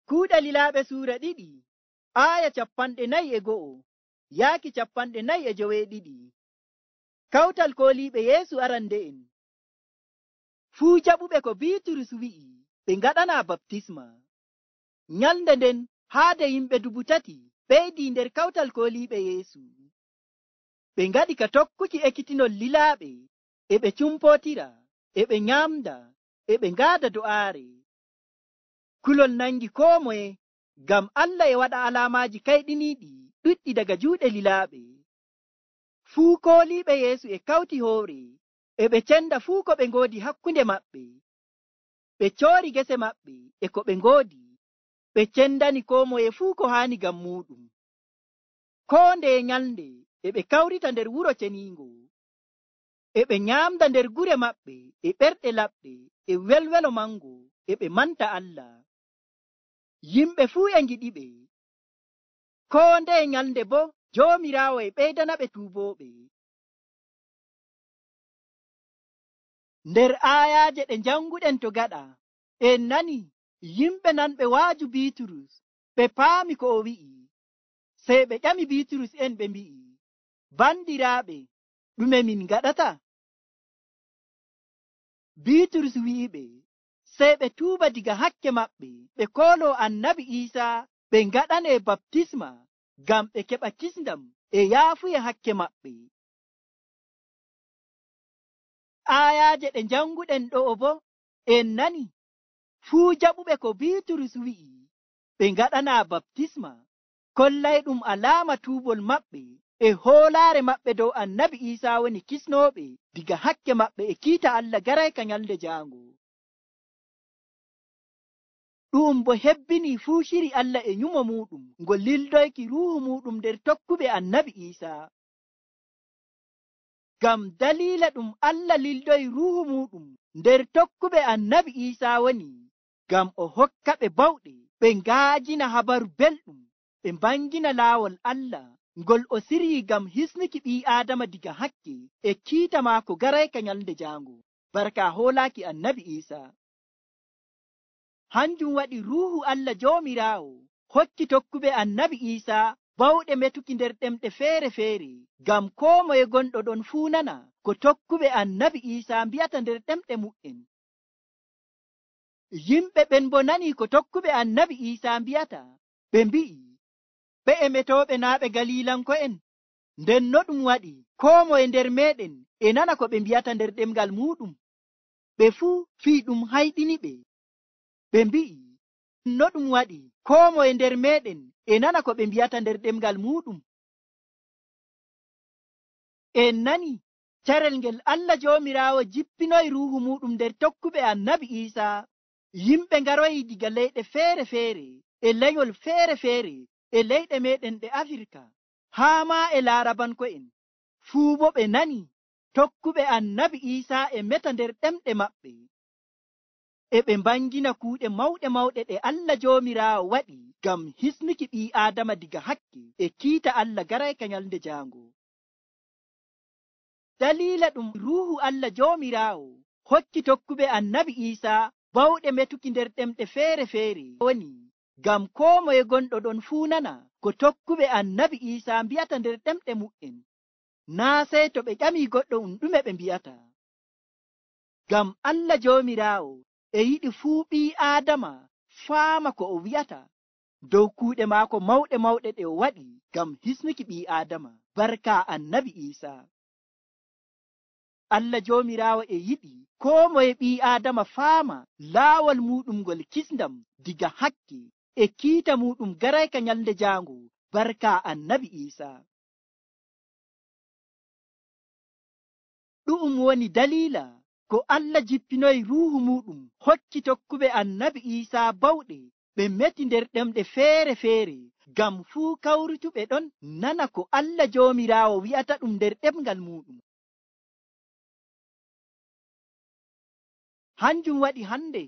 Kuuɗe Lilaaɓe suura 2 aaya 41 yaaki 42. Kawtal kooliiɓe Yeesu arande'en. Fuu jaɓuɓe ko Biiturus wi'i ɓe ngaɗanaa baptisma. Nyalnde nden haade yimɓe 3,000 ɓeydii nder kawtal kooliiɓe Yeesu. Ɓe ngaɗi ka tokkuki ekkitinol lilaaɓe, e ɓe cumpootira, e ɓe nyaamda, e ɓe ngaada do'aare. Kulol nangi koo moye, ngam Allah e waɗa alaamaaji kayɗiniiɗi ɗuɗɗi daga juuɗe lilaaɓe. Fuu kooliiɓe Yeesu e kawti hoore, e ɓe cenda fuu ko ɓe ngoodi hakkunde maɓɓe. Ɓe coori gese maɓɓe e ko ɓe ngoodi, ɓe cendani koo moye fuu ko haani ngam muuɗum. Koo ndeye nyalnde e ɓe kawrita nder wuro ceniingo, e ɓe nyaamda nder gure maɓɓe e ɓerɗe laɓɗe e welwelo mango, e ɓe manta Allah. Yimɓe fuu e ngiɗiɓe. Koo ndeye nyalnde boo Joomiraawo e ɓeydanaɓe tuubooɓe. Nder aayaaje ɗe janguɗen to gaɗa, en nani yimɓe nanɓe waaju Biiturus ɓe paami ko o wi'i. Sey ɓe ƴami Biiturus en ɓe mbi'i, bandiraaɓe, ɗume min ngaɗata? Biiturus wi'iɓe sey ɓe tuuba diga hakke maɓɓe, ɓe kooloo Annabi Iisaa, ɓe ngaɗanee baptisma ngam ɓe keɓa kisndam e yaafuya hakke maɓɓe. Aayaaje ɗe janguɗen ɗo'o boo en nani fuu jaɓuɓe ko Biiturus wi'i ɓe ngaɗanaa baptisma, kollay ɗum alaama tuubol maɓɓe e hoolaare maɓɓe dow Annabi Iisaa woni kisnooɓe diga hakke maɓɓe e kiita Allah garayka nyalnde jaango. Ɗum bo hebbinii fuu shiri Allah e nyumo muuɗum ngo lildoyki ruuhu muuɗum nder tokkuɓe Annabi Iisaa. Ngam daliila ɗum Allah lildoyi ruuhu muuɗum nder tokkuɓe Annabi Iisaa woni ngam o hokka ɓe bawɗe ɓe ngaajina habaru belɗum, ɓe mbangina laawol Allah ngol o siryii ngam hisnuki ɓii Aadama diga hakke e kiita maako garayka nyalnde jaango, barka hoolaaki Annabi Iisaa. Hanjum waɗi ruuhu Allah Joomiraawo hokki tokkuɓe Annabi Iisaa bawɗe metuki nder ɗemɗe feere-feere, ngam koo moye gonɗo ɗon fuu nana ko tokkuɓe Annabi Iisaa mbi'ata nder ɗemɗe mu'en. Yimɓe ɓen bo nanii ko tokkuɓe Annabi Iisaa mbi'ata, ɓe mbi'i, ɓe'e metooɓe naa ɓe Galiilanko'en? Nden no ɗum waɗi koo moye nder meeɗen e nana ko ɓe mbi'ata nder ɗemngal muuɗum? Ɓe fuu fii ɗum hayɗiniɓe. Ɓe mbi'i, no ɗum waɗi koo moye nder meeɗen e nana ko ɓe mbi'ata nder ɗemngal muuɗum? En nani carel ngel Allah Joomiraawo jippinoyi ruuhu muuɗum nder tokkuɓe Annabi Iisaa. Yimɓe ngaroyi diga leyɗe feere-feere e lenyol feere-feere e leyɗe meeɗen ɗe Afirka haa maa e Laarabanko'en. Fuu bo ɓe nani tokkuɓe Annabi Iisaa e meta nder ɗemɗe maɓɓe, e ɓe mbangina kuuɗe mawɗe ɗe Allah Joomiraawo waɗi ngam hisnuki ɓii Aadama diga hakke e kiita Allah garayka nyalnde jaango. Daliila ɗum ruuhu Allah Joomiraawo hokki tokkuɓe Annabi Iisaa bawɗe metuki nder ɗemɗe feere-feere woni ngam koo moye gonɗo ɗon fuu nana ko tokkuɓe Annabi Iisaa mbi'ata nder ɗemɗe mu'en, naa sey to ɓe ƴamii goɗɗo ɗume ɓe mbi'ata. Ngam Allah Joomiraawo e yiɗi fuu ɓii Aadama faama ko o wi'ata dow kuuɗe maako mawɗe ɗe o waɗi ngam hisnuki ɓii Aadama, barka Annabi Iisaa. Allah Joomiraawo e yiɗi koo moye ɓii Aadama faama laawol muuɗum ngol kisndam diga hakke e kiita muuɗum garayka nyalnde jaango, barka Annabi Iisaa. Ɗu'um woni daliila ko Allah jippinoyi ruuhu muuɗum hokki tokkuɓe Annabi Iisaa bawɗe ɓe meti nder ɗemɗe feere-feere, ngam fuu kawrutuɓe ɗon nana ko Allah Joomiraawo wi'ata ɗum nder ɗemngal muuɗum. Hanjum waɗi hande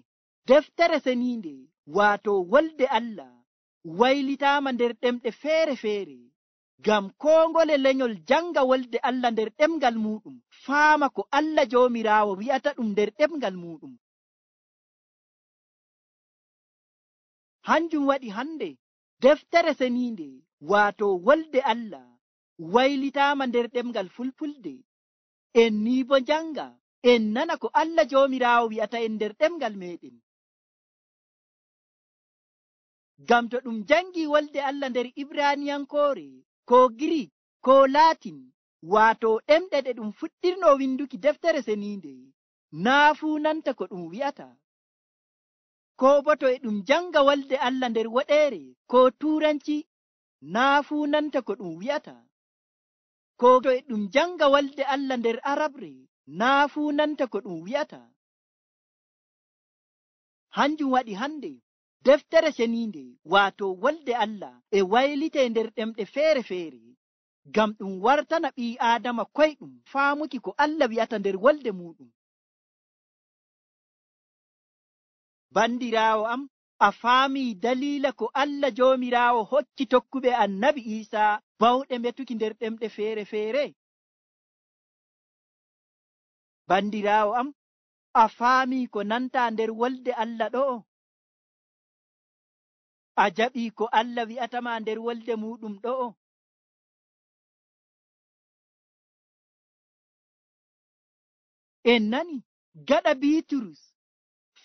deftere seniinde waato Wolde Allah waylitaama nder ɗemɗe feere-feere, ngam koo ngole lenyol janga Wolde Allah nder ɗemngal muuɗum faama ko Allah Joomiraawo wi'ata ɗum nder ɗemngal muuɗum. Hanjum waɗi hande deftere seniinde waato wolde Allah waylitaama nder ɗemgal fulfulde. En ni bo janga en nana ko Allah joomiraawo wi'ata en nder ɗemgal meɗen. Ngam to ɗum jangi wolde Allah nder Ibraniyankoore ko Girik ko Latin waato ɗemɗe ɗe ɗum fuɗɗirno winduki deftere seniinde, naa fuu nanta ko ɗum wi'ata. Ko bo to e ɗum janga wolde Allah nder woɗeere ko Tuuranci, naa fuu nanta ko ɗum wi'ata. Ko to e ɗum janga wolde Allah nder Arabre, naa fuu nanta ko ɗum wi'ata. Hanjum waɗi hande deftere seniinde waato wolde Allah e waylite nder ɗemɗe feere-feere, ngam ɗum wartana ɓii Aadama koyɗum faamuki ko Allah wi'ata nder wolde muɗum. Bandiraawo am, a faamii daliila ko Allah joomiraawo hokki tokkuɓe Annabi Iisaa bawɗe metuki nder ɗemɗe feere-feere? Bandiraawo am, a faamii ko nanta nder wolde Allah ɗo'o? A jaɓii ko Allah wi'atama nder wolde muɗum ɗo'o? En nani gaɗa Biiturus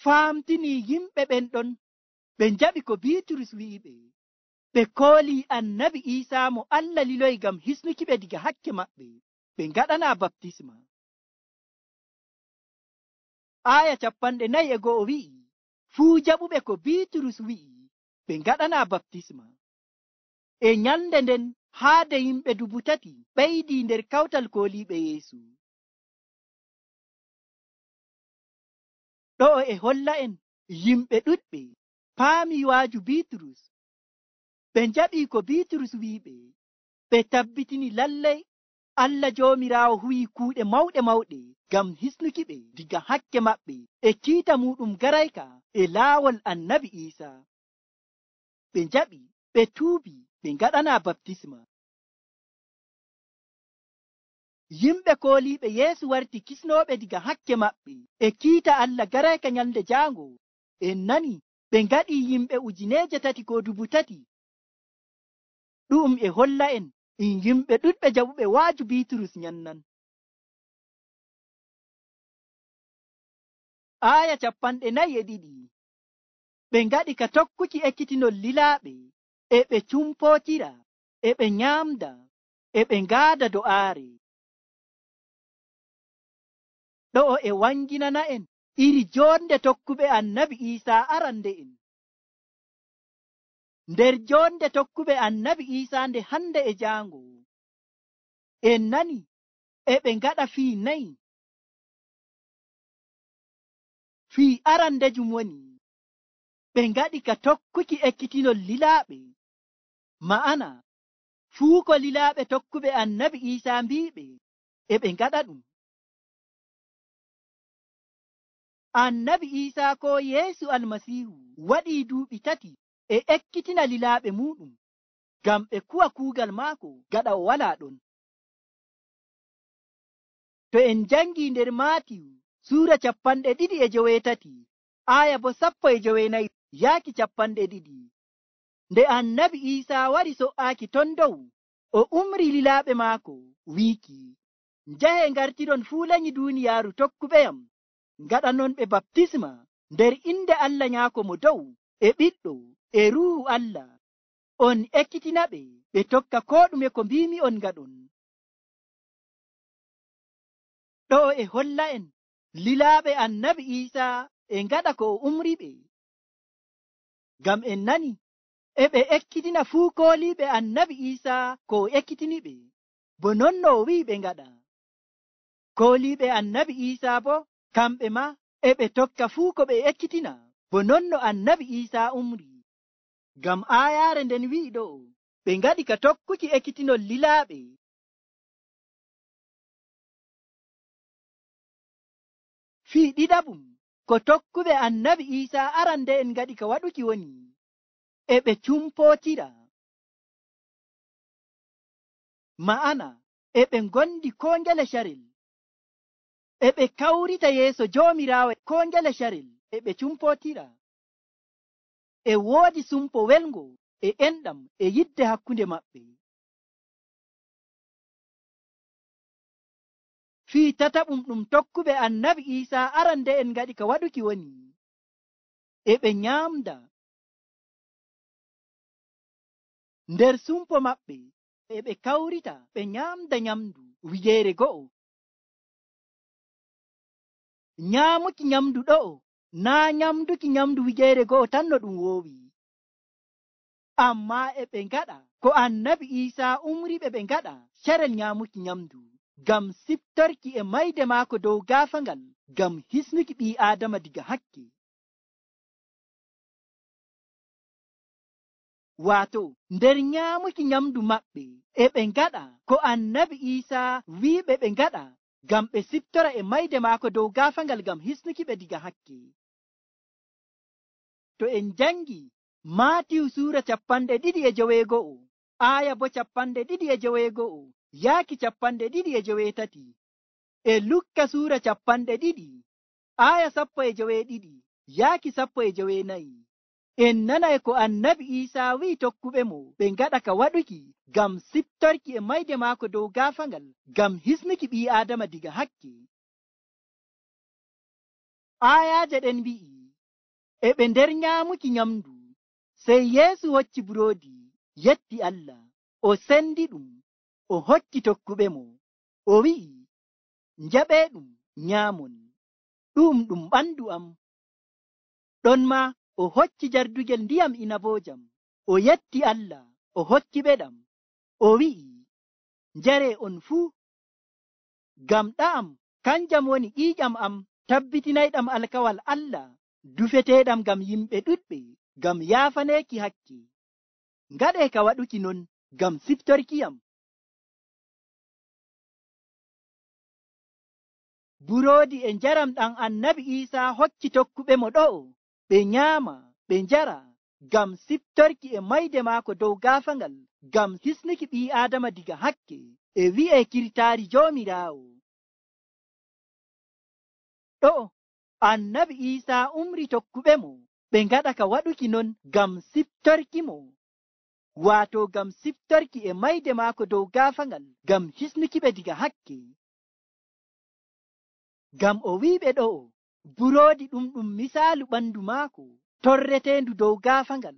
faamtini yimɓe ɓen ɗon ɓe njaɓi ko Biiturus wi'iɓe, ɓe koolii Annabi Iisaa mo Allah liloyi ngam hisnuki ɓe diga hakke maɓɓe, ɓe ngaɗana baptisma. Aya 41 wi'i, fuu jaɓuɓe ko Biiturus wi'i ɓe ngaɗana baptisma. E nyalnde nden haade yimɓe 3,000 ɓeydii nder kawtal kooliiɓe Yeesu. Ɗo'o e holla en yimɓe ɗuɗɓe paami waaju Biiturus, ɓe njaɓii ko Biiturus wi'iɓe, ɓe tabbitini lallay Allah joomiraawo huwii kuuɗe mawɗe mawɗe ngam hisnuki ɓe diga hakke maɓɓe e kiita muɗum garayka e laawol Annabi Iisaa. Ɓe njaɓi, ɓe tuubi, ɓe ngaɗana baptisma. Yimɓe kooliiɓe Yeesu warti kisnooɓe diga hakke maɓɓe e kiita Allah garayka nyalnde jaango. En nani ɓe ngaɗii yimɓe 3,000 ko 3,000. Ɗu'um e holla en yimɓe ɗuɗɓe jaɓuɓe waaju Biiturus nyannan. Aya 42 ɓe ngaɗi ka tokkuki ekkitinol lilaaɓe, e ɓe cumpootira, e ɓe nyaamda, e ɓe ngaada do'aare. Ɗo'o e wanginana en iri joonde tokkuɓe Annabi Iisaa arande'en. Nder joonde tokkuɓe Annabi Iisaa nde hande e jaango, en nani e ɓe ngaɗa fii 4. Fii arandejum woni ɓe ngaɗi ka tokkuki ekkitinol lilaaɓe, ma'ana fuu ko lilaaɓe tokkuɓe Annabi Iisaa mbi'iɓe e ɓe ngaɗa ɗum. Annabi Iisaa ko Yeesu Almasiihu waɗii duuɓi 3 e ekkitina lilaaɓe muɗum ngam ɓe kuwa kuugal maako gaɗa o walaa ɗon. To en jangi nder Maatiyu suura 28 aya bo 19 yaaki 20, nde Annabi Iisaa wari so''aaki ton dow, o umri lilaaɓe maako wiiki, njahe ngartiron fuu lanyi duuniyaaru tokkuɓeyam, ngaɗanon ɓe baptisma nder inde Allah Nyaako mo dow e Ɓiɗɗo e Ruuhu Allah. On ekkitina ɓe ɓe tokka koo ɗume ko mbiimi on ngaɗon. Ɗo e holla en lilaaɓe Annabi Iisaa e ngaɗa ko o umri ɓe, ngam en nani e ɓe ekkitina fuu kooliiɓe Annabi Iisaa ko o ekkitini ɓe, bo non no o wi'i ɓe ngaɗa. Kooliiɓe Annabi Iisaa bo kamɓe ma e ɓe tokka fuu ko ɓe ekkitina, bo non no Annabi Iisaa umri. Ngam aayaare nden wi'i ɗo, ɓe ngaɗi ka tokkuki ekkitinol lilaaɓe. Fii ɗiɗaɓum ko tokkuɓe Annabi Iisaa arande en ngaɗi ka waɗuki woni e ɓe cumpootira, ma'ana e ɓe ngondi koo ngele carel, e ɓe kawrita yeeso Joomiraawo koo ngele carel e ɓe cumpootira. e woodi sumpo welngo e enɗam e yidde hakkunde maɓɓe. fii tataɓum ɗum tokkuɓe annabi Iisaa arande'en ngaɗi ka waɗuki woni e ɓe nyaamda nder sumpo maɓɓe e ɓe kawrita ɓe nyaamda nyamdu wigeere go'o. Nyaamuki nyamdu ɗo'o naa nyamduki nyamdu wigeere go'o tan no ɗum woowi, ammaa e ɓe ngaɗa ko annabi Iisaa umriɓe ɓe ngaɗa carel nyaamuki nyamdu ngam siftorki e mayde maako dow gaafaangal ngam hisnuki ɓii aadama diga hakke. Waato nder nyaamuki nyamdu maɓɓe e ɓe ngaɗa ko annabi Iisaa wi'iɓe ɓe ngaɗa ngam ɓe siftora e mayde maako dow gaafaangal ngam hisnuki ɓe diga hakke. To en jangi Maatiyu suura 22 aaya bo 22 yaaki 23, e Lukka suura 20 aaya 12 yaaki 14, en nanay ko annabi Iisaa wi'i tokkuɓe mo ɓe ngaɗa ka waɗuki ngam siftorki e mayde maako dow gaafaangal ngam hisnuki ɓii aadama diga hakke. Aayaaje ɗen wi'i e ɓe nder nyaamuki nyamdu, sey Yeesu hocci buroodi yetti Allah, o sendi ɗum, o hokki tokkuɓe mo, o wi'i, njaɓeeɗum nyaamon, ɗum ɓandu am. Ɗon maa o hocci jardugel ndiyam inaboojam, o yetti Allah, o hokki ɓe ɗam, o wi'i, njaree on fuu, ngam ɗa'am kanjam woni ƴiiƴam am tabbitinayɗam alkawal Allah dufeteeɗam ngam yimɓe ɗuɗɓe ngam yaafaneeki hakke. Ngaɗee ka waɗuki non ngam siftorkiyam. Buroodi e njaram ɗam annabi Iisaa hokki tokkuɓe mo ɗo'o ɓe nyaama ɓe njara ngam siftorki e mayde maako dow gaafaangal ngam hisnuki ɓii aadama diga hakke e wi'ee kirtaari Joomiraawo. Ɗo'o annabi Iisaa umri tokkuɓe mo ɓe ngaɗa ka waɗuki non ngam siftorki mo, waato ngam siftorki e mayde maako dow gaafaangal ngam hisnuki ɓe diga hakke. Ngam o wi'iɓe ɗo'o buroodi ɗum misaalu ɓandu maako torreteendu dow gaafaangal,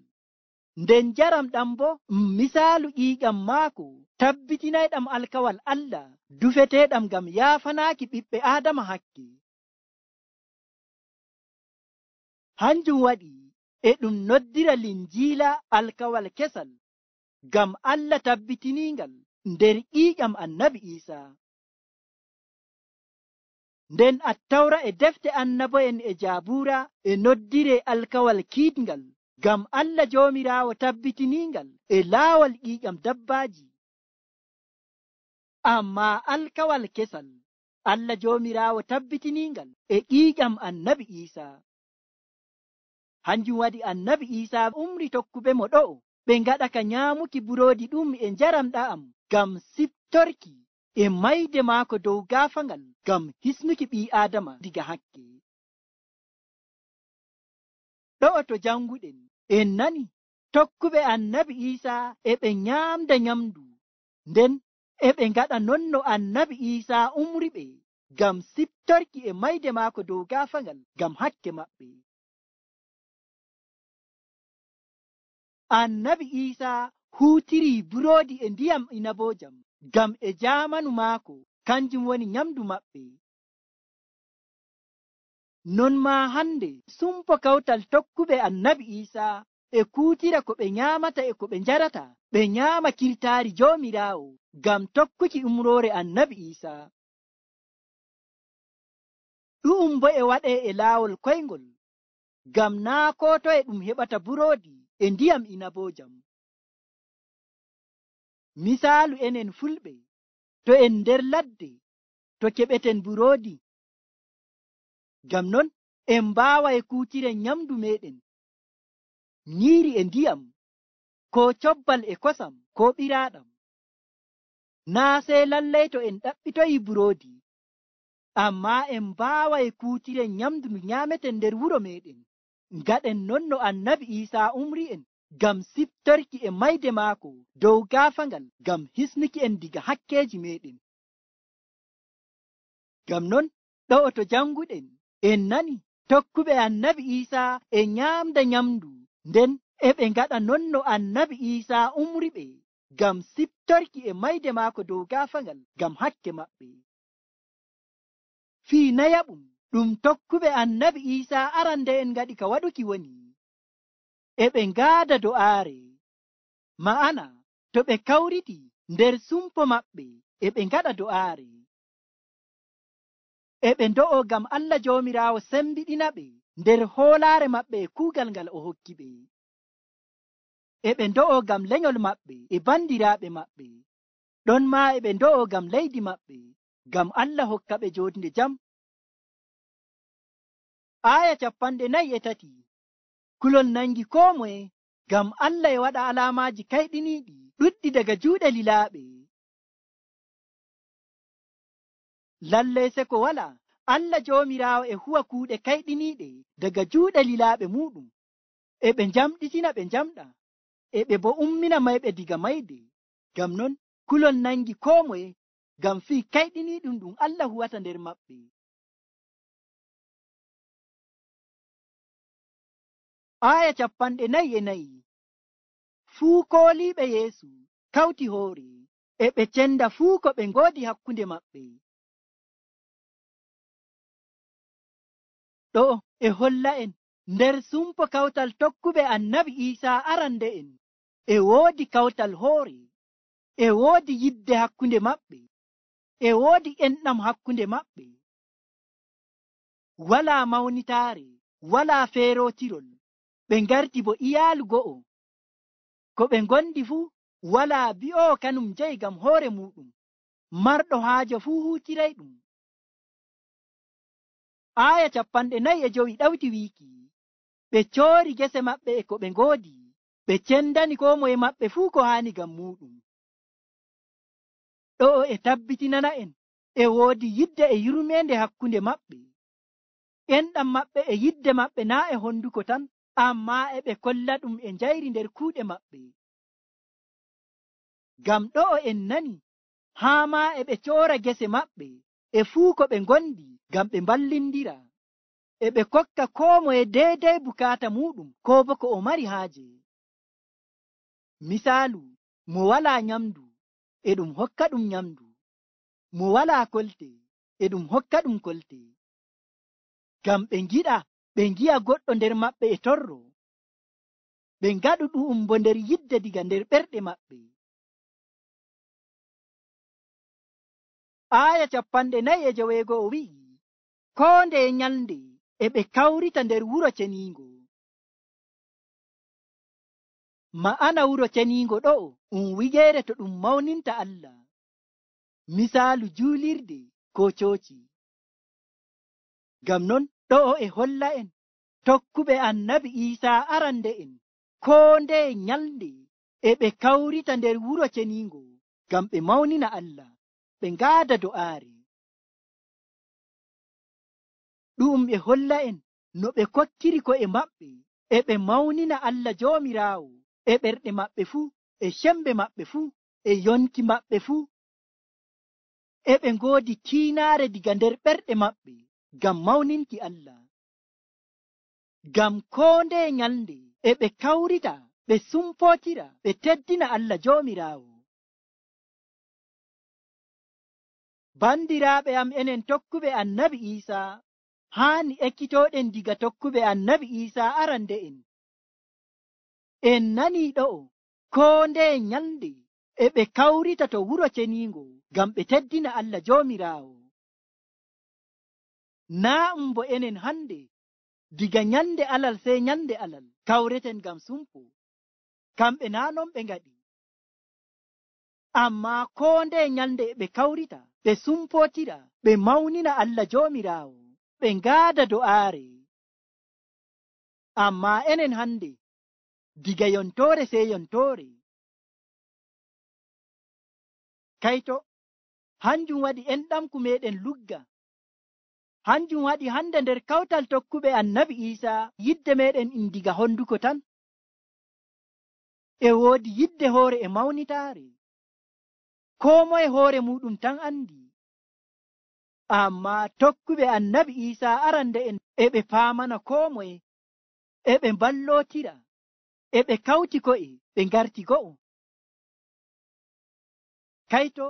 nden njaram ɗam bo misaalu ƴiiƴam maako tabbitinayɗam alkawal Allah dufeteeɗam ngam yaafanaaki ɓiɓɓe Aadama hakke. Hanjum waɗi e ɗum noddira linjiila alkawal kesal, ngam Allah tabbitiningal nder ƴiiƴam annabi Iisaa. Nden Attawra e defte annabo'en e Jaabuura e noddire alkawal kiiɗngal, ngam Allah Joomiraawo tabbitiningal e laawol ƴiiƴam dabbaaji. Ammaa alkawal kesal Allah Joomiraawo tabbitiningal e ƴiiƴam annabi Iisaa. Hanjum waɗi annabi Iisaa umri tokkuɓe mo ɗo'o ɓe ngaɗa ka nyaamuki buroodi ɗum e njaram ɗa'am ngam siftorki e mayde maako dow gaafaangal ngam hisnuki ɓii Aadama diga hakke. Ɗo'o to janguɗen en nani tokkuɓe annabi Iisaa e ɓe nyaamda nyamdu, nden e ɓe ngaɗa non no annabi Iisaa umri ɓe ngam siftorki e mayde maako dow gaafaangal ngam hakke maɓɓe. Annabi Iisaa huutirii buroodi e ndiyam inaboojam ngam e jaamanu maako kanjum woni nyamdu maɓɓe. Non maa hande sumpo kawtal tokkuɓe annabi Iisaa e kuutira ko ɓe nyaamata e ko ɓe njarata, ɓe nyaama kirtaari Joomiraawo ngam tokkuki umroore annabi Iisaa. Ɗu'um bo e waɗee e laawol koyngol, ngam naa koo toye ɗum heɓata buroodi e ndiyam inaboojam. Misaalu enen Fulɓe, to en nder ladde to keɓeten buroodi, ngam non en mbaaway kuutiren nyamdu meeɗen, nyiiri e ndiyam, ko cobbal e kosam, ko ɓiraaɗam. Naa sey lallay to en ɗaɓɓitoyi buroodi, ammaa en mbaaway kuutiren nyamdu ndu nyaameten nder wuro meeɗen. ngaɗen non no annabi Iisaa umri'en ngam siftorki e mayde maako dow gaafaangal ngam hisnuki en diga hakkeeji meeɗen. Ngam non ɗo'o to janguɗen en nani tokkuɓe annabi Iisaa e nyaamda nyamndu, nden e ɓe ngaɗa non no annabi Iisaa umriɓe ngam siftorki e mayde maako dow gaafaangal ngam hakke maɓɓe. Fii nayaɓum ɗum tokkuɓe annabi Iisaa arande'en ngaɗi ka waɗuki woni e ɓe ngaada do'aare, ma'ana to ɓe kawriti nder sumpo maɓɓe e ɓe ngaɗa do'aare, e ɓe ndo'o ngam Allah Joomiraawo sembiɗina ɓe nder hoolaare maɓɓe e kuugal ngal o hokki ɓe, e ɓe ndo'o ngam lenyol maɓɓe e bandiraaɓe maɓɓe, ɗon maa e ɓe ndo'o ngam leydi maɓɓe, ngam Allah hokka ɓe jootnde jam. Aaya 43. Kulol nangi koo moye, ngam Allah e waɗa alaamaaji kayɗiniiɗi ɗuɗɗi daga juuɗe lilaaɓe. Lallay seko walaa, Allah Joomiraawo e huwa kuuɗe kayɗiniiɗe daga juuɗe lilaaɓe muuɗum, e ɓe njamɗitina ɓe njamɗa, e ɓe bo ummina mayɓe diga mayde. Ngam non kulol nangi koo moye, ngam fii kayɗiniiɗum ɗum Allah huwata nder maɓɓe. Aaya 44. Fuu kooliiɓe Yeesu kawti hoore, e ɓe cenda fuu ko ɓe ngoodi hakkunde maɓɓe. Ɗo e holla en nder sumpo kawtal tokkuɓe annabi Iisaa arande'en e woodi kawtal hoore, e woodi yidde hakkunde maɓɓe, e woodi enɗam hakkunde maɓɓe. Walaa mawnitaare, walaa feerootirol, ɓe ngarti bo iyaalu go'o. Ko ɓe ngondi fuu walaa bi'oowo kanum jeyi ngam hoore muuɗum, marɗo haaje fuu huutiray ɗum. Aaya 45 ɗawti wiiki, ɓe coori gese maɓɓe e ko ɓe ngoodi, ɓe cendani koo moye maɓɓe fuu ko haani ngam muuɗum. Ɗo'o e tabbitinana en e woodi yidde e yurmeende hakkunde maɓɓe. Enɗam maɓɓe e yidde maɓɓe naa' e honduko tan, ammaa e ɓe kolla ɗum e njayri nder kuuɗe maɓɓe. Ngam ɗo'o en nani haa maa e ɓe coora gese maɓɓe e fuu ko ɓe ngondi ngam ɓe mballindira, e ɓe kokka koo moye deydey bukaata muuɗum koo bo ko o mari haaje. Misaalu, mo walaa nyamdu e ɗum hokka ɗum nyamdu, mo walaa kolte e ɗum hokka ɗum kolte, ngam ɓe ngiɗa ɓe ngi'a goɗɗo nder maɓɓe e torro, ɓe ngaɗu ɗu'um bo nder yidde diga nder ɓerɗe maɓɓe. Aaya 45 wi'i, koo ndeye nyalnde e ɓe kawrita nder wuro ceniingo. Ma'ana wuro ceniingo ɗo'o wigeere to ɗum mawninta Allah, misaalu juulirde koo cooci. Ngam non ɗo'o e holla en tokkuɓe annabi Iisaa arande'en koo ndeye nyalnde e ɓe kawrita nder wuro ceniingo ngam ɓe mawnina Allah, ɓe ngaada do'aare. Ɗum e holla en no ɓe kokkiri ko'e maɓɓe e ɓe mawnina Allah Joomiraawo e ɓerɗe maɓɓe fuu, e sembe maɓɓe fuu, e yonki maɓɓe fuu, e ɓe ngoodi kiinaare diga nder ɓerɗe maɓɓe ngam mawninki Allah. Ngam koo ndeye nyalnde e ɓe kawrita ɓe sumpootira ɓe teddina Allah Joomiraawo. Bandiraaɓe am, enen tokkuɓe annabi Iisaa haani ekkitooɗen diga tokkuɓe annabi Iisaa arande'en. En nanii ɗo'o koo ndeye nyalnde e ɓe kawrita to wuro ceniingo ngam ɓe teddina Allah Joomiraawo. Naa bo enen hande diga nyalnde alal sey nyalnde alal kawreten ngam sumpo, kamɓe naa non ɓe ngaɗi. Ammaa koo ndeye nyalnde e ɓe kawrita ɓe sumpootira ɓe mawnina Allah Joomiraawo, ɓe ngaada do'aare. Ammaa enen hande diga yontoore sey yontoore. Kayto, hanjum waɗi enɗamku meeɗen lugga, hanjum waɗi hande nder kawtal tokkuɓe annabi Isa yidde meɗen in diga honduko tan. E woodi yidde hoore e mawnitaare, koo moye hoore muɗum tan andi. Amma tokkuɓe annabi Isa arande en e ɓe paamana koo moye, e ɓe mballootira, e ɓe kawti ko'e ɓe ngarti go'o. Kayto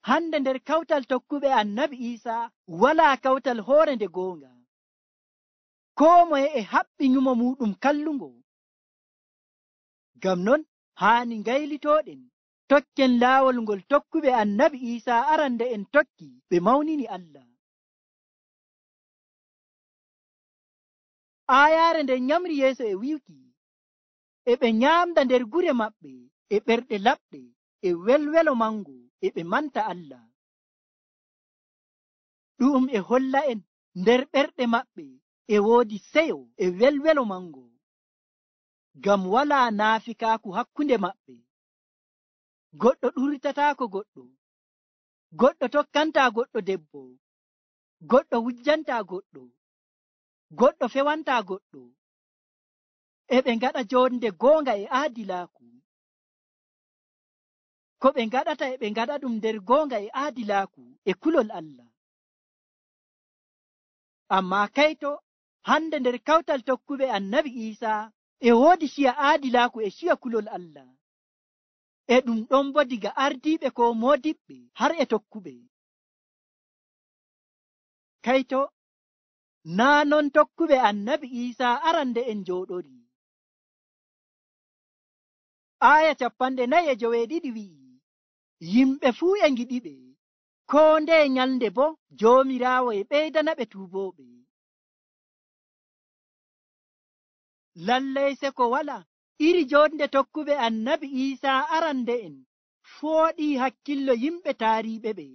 hande nder kawtal tokkuɓe annabi Isa walaa kawtal hoore nde goonga. Koo moye e haɓɓi nyumo muɗum kallungo. Ngam non haani ngaylitooɗen tokken laawol ngol tokkuɓe annabi Isa arande en tokki ɓe mawnini Allah. Aayaare nden nyamri yeeso e wi'uki, e ɓe nyaamda nder gure maɓɓe e ɓerɗe laɓɗe e welwelo mango e ɓe manta Allah. Ɗum e holla en nder ɓerɗe maɓɓe e woodi seyo e welwelo mango, ngam walaa naafikaaku hakkunde maɓɓe. Goɗɗo ɗurtataako goɗɗo, goɗɗo tokkantaa goɗɗo debbo, goɗɗo wujjantaa goɗɗo, goɗɗo fewantaa goɗɗo. E ɓe ngaɗa jonde goonga e aadilaaku. Ko ɓe ngaɗata e ɓe ngaɗa ɗum nder goonga e aadilaaku e kulol Allah. Amma kayto hande nder kawtal tokkuɓe annabi Isa e woodi ciya aadilaaku e ciya kulol Allah. E ɗum ɗon bo diga ardiiɓe ko moodiɓɓe har e tokkuɓe. Kayto naa non tokkuɓe annabi Isa arande en jooɗori. Aya 49 wi'i, yimɓe fuu e ngiɗiɓe, koo nde nyalnde bo Joomiraawo e ɓeydana ɓe tuubooɓe. Lallay seko wala iri jonde tokkuɓe annabi Isa arande en fooɗii hakkillo yimɓe taariiɓe ɓe.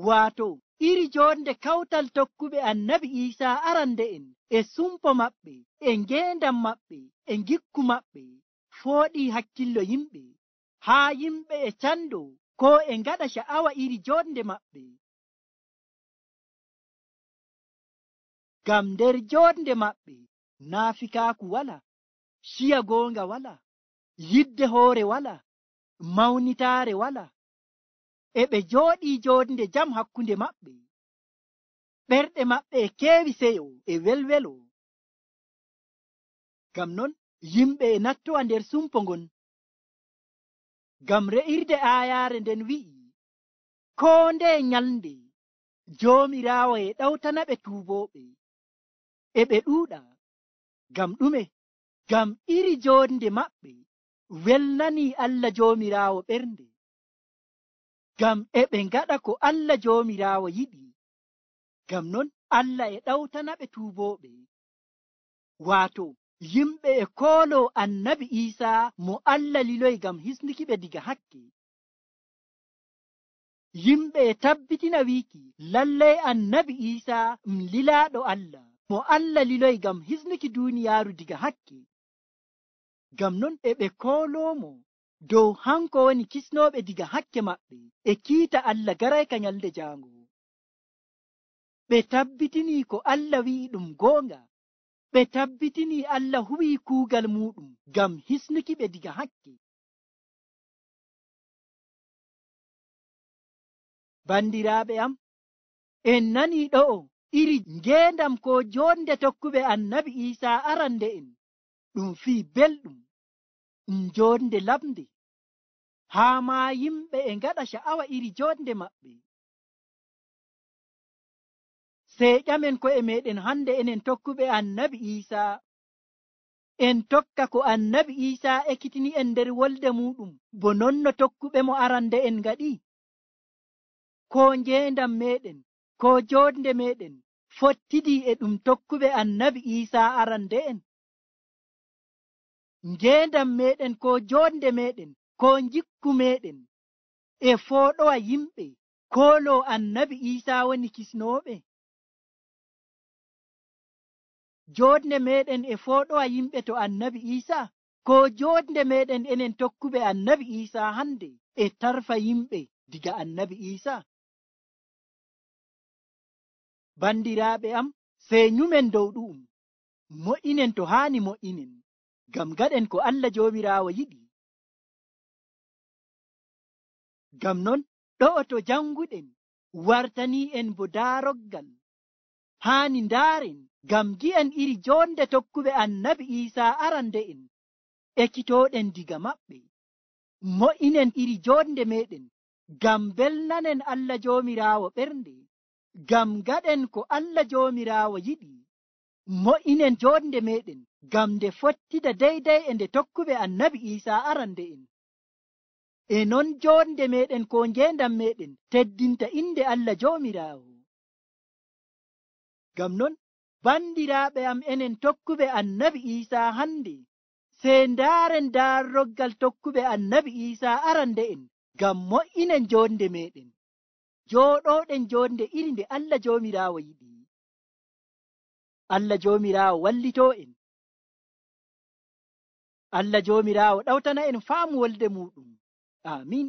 Waato iri jonde kawtal tokkuɓe annabi Isa arande en e sumpo maɓɓe, e ngeendam maɓɓe, e ngikku maɓɓe fooɗii hakkillo yimɓe, haa yimɓe e cando ko e ngaɗa sha'awa iri jonde maɓɓe. Ngam nder jonde maɓɓe naafikaaku wala, ciya goonga wala, yidde hoore wala, mawnitaare wala. E ɓe jooɗii jonde jam hakkunde maɓɓe. Ɓerɗe maɓɓe e keewi seyo e welwelo. Ngam non yimɓe e nattowa nder sumpo ngon. Ngam re'irde aayaare nden wi'i, koo nde nyalnde Joomiraawo e ɗawtana ɓe tuubooɓe. E ɓe ɗuuɗa. Ngam ɗume? Ngam iri jonde maɓɓe welnanii Allah Joomiraawo ɓernde. Ngam e ɓe ngaɗa ko Allah Joomiraawo yiɗi. Ngam non Allah e ɗawtana ɓe tuubooɓe. Waato yimɓe e kooloo annabi Isa mo Allah liloyi ngam hisnuki ɓe diga hakke. Yimɓe e tabbitina wiiki lallay annabi Isa lilaaɗo Allah mo Allah liloyi ngam hisnuki duuniyaaru diga hakke. Ngam non e ɓe kooloomo dow hanko woni kisnooɓe diga hakke maɓɓe e kiita Allah garayka nyalde jaango. Ɓe tabbitinii ko Allah wi'i ɗum goonga. Ɓe tabbitinii Allah huwii kuugal muɗum ngam hisnuki ɓe diga hakke. Bandiraaɓe am, en nanii ɗo'o iri ngeendam ko jonde tokkuɓe annabi Isa arande en ɗum fii belɗum, jonde lamde, haa maa yimɓe e ngaɗa sha'awa iri jonde maɓɓe. Sey ƴamen ko'e meɗen hande enen tokkuɓe annabi Isa, en tokka ko annabi Isa ekkitini en nder wolde muɗum bo non no tokkuɓe mo arande en ngaɗi? Ko ngeendam meɗen, ko jonde meɗen fottidii e ɗum tokkuɓe annabi Isa arande en? Ngeendam meɗen ko jonde meɗen ko njikku meɗen e fooɗowa yimɓe kooloo annabi Isa woni kisnooɓe? Jonde meɗen e fooɗowa yimɓe to annabi Isa, ko jonde meɗen enen tokkuɓe annabi Isa hande e tarfa yimɓe diga annabi Isa? Bandiraaɓe am, sey nyumen dow ɗu'um, mo'inen to haani mo'inen, ngam gaɗen ko Allah Joomiraawo yiɗi. Ngam non ɗo'o to janguɗen wartani'en bo daaroggal haani ndaaren, ngam gi'en iri jonde tokkuɓe Annabi Iisaa arande'en ekkitooɗen diga maɓɓe. Mo'inen iri jonde meɗen ngam belnanen Allah Joomiraawo ɓernde, ngam gaɗen ko Allah Joomiraawo yiɗi. Mo'inen jonde meɗen ngam nde fottida deydey e nde tokkuɓe Annabi Iisaa arande'en. E non jonde meɗen ko ngendam meɗen teddinta inde Allah Joomiraawo. Ngam non bandiraaɓe am, enen tokkuɓe Annabi Iisaa hande, sey ndaaren daaroggal tokkuɓe Annabi Iisaa arande'en, ngam mo'inen jonde meɗen, jooɗoɗen jonde iri nde Allah Joomiraawo yiɗi. Allah Joomiraawo wallitoo en. Allah Joomiraawo ɗawtana en faamu wolde muɗum. Amin.